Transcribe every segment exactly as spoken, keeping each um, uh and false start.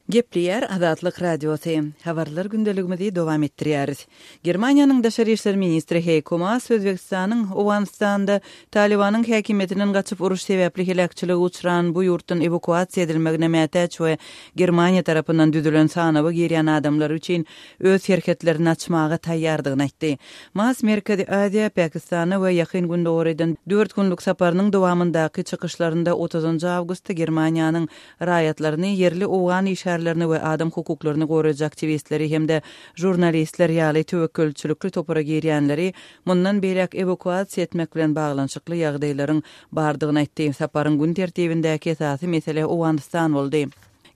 Gepleýär Azatlyk Radiosy. Habarlar gündeligimizi dowam etdirýäris. Germaniýanyň daşary işler ministri Heiko Maas Özbegistanyň Owganystanda Talibanyň häkimiýetinden gaçyp uruş sebäpli heläkçilige uçran bu ýurtdan ewakuasiýa edilmegine mätäç we Germaniýa tarapyndan düzülen sanawa girýän adamlar üçin öz serhetlerini açmaga taýýardygyny aýtdy. Maas Merkezi Aziýa, Pakistana we Ýakyn Gündogara eden dört günlük saparynyň dowamyndaky çykyşlarynda otuzynjy awgustda Germaniýanyň raýatlaryny ýerli owgan işgärlerini we adam hukuklaryny goraýjy aktiwistleri hem-de žurnalistler ýaly töwekgelçilikli topara girýänleri mundan beýläk ewakuasiýa etmek bilen baglanyşykly ýagdaýlaryň bardygyny aýtdy. Saparyň gün tertibindäki esasy mesele Owganystan boldy.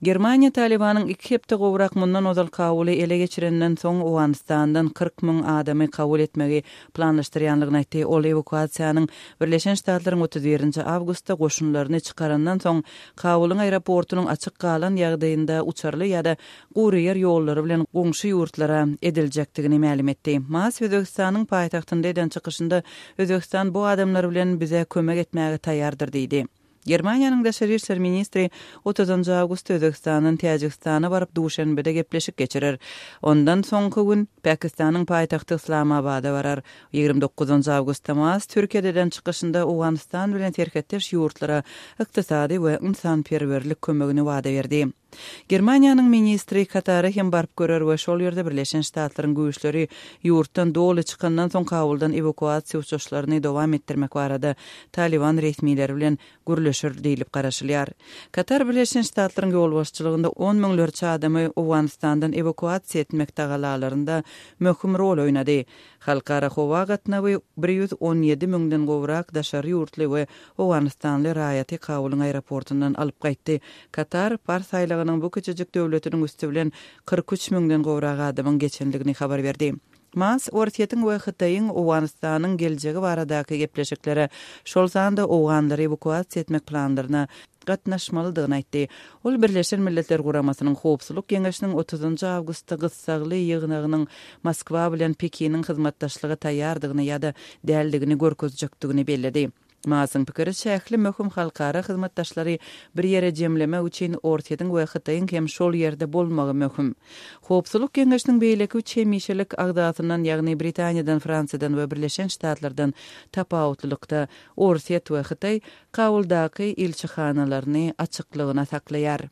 Germaniýa Talibanyň iki hepde gowrak mundan ozal Kabuly ele geçirenden soň Owganystandan kyrk müň adamy kabul etmegi planlaşdyrýanlygyny aýtdy. Ol ewakuasiýanyň Birleşen Ştatlaryň otuz birinji awgustda goşunlaryny çykarandan soň Kabulyň aeroportunyň açyk galan ýagdaýynda uçarly ýa-da gury ýer ýollary bilen goňşy ýurtlara ediljekdigini mälim etdi. Maas Özbegistanyň paýtagtynda eden çykyşynda Özbegistan bu adamlar bilen bize kömek etmäge taýýardyr diýdi. Germaniýanyň daşary işler ministri otuzynjy awgustda Özbegistandan Täjigistana baryp Duşenbede gepleşik geçirer. Ondan soňky gün Pakistanyň paýtagty Islamabada barar. Ýigrimi dokuzynjy awgustda Maas Türkiýede eden çykyşynda Owganystan bilen serhetdeş ýurtlara ykdysady we ynsanperwerlik kömegini wada berdi. Germaniýanyň ministri Katara hem baryp görer we şol ýerde Birleşen Ştatlaryň güýçleri ýurtdan doly çykandan soň Kabuldan ewakuasiýa uçuşlaryny dowam etdirmek barada Taliban resmileri bilen gürleşer diýlip garaşylýar. Katar Birleşen Ştatlaryň ýolbaşçylygynda on müňlerçe adamy Owganystandan ewakuasiýa etmek tagalalarynda möhüm rol oýnady. Halkara howa gatnawy bir ýüz on ýedi müňden gowrak daşary ýurtly we Owganystanly raýaty Kabulyň aeroportundan alyp gaýtdy. Katar Pars aýlagynyň bu kiçijik döwletiniň üsti bilen kyrk üç müňden gowrak adamyň geçendigini habar berdi. Maas Orsýetiň we Hytaýyň Owganystanyň geljegi baradaky gepleşiklere, şol sanda owganlary ewakuasiýa etmek planlaryna gatnaşmalydygyny aýtdy. Ol Birleşen Milletler Guramasynyň Howpsuzlyk Geňeşiniň otuzynjy awgustda gyssagly ýygnagynyň Moskwa bilen Pekiniň hyzmatdaşlyga taýýardygyny ýa-da däldigini görkezjekdigini belledi. Maasyň pikiriçe, ähli möhüm halkara hyzmatdaşlary bir ýere jemlemek üçin Orsýetiň we Hytaýyň hem şol ýerde bolmagy möhüm. Howpsuzlyk Geňeşiniň beýleki üç hemişelik agzasyndan, ýagny Britaniýadan, Fransiýadan we Birleşen Ştatlardan tapawutlylykda, Orsýet we Hytaý Kabuldaky ilçihanalaryny açyklygyna saklaýar.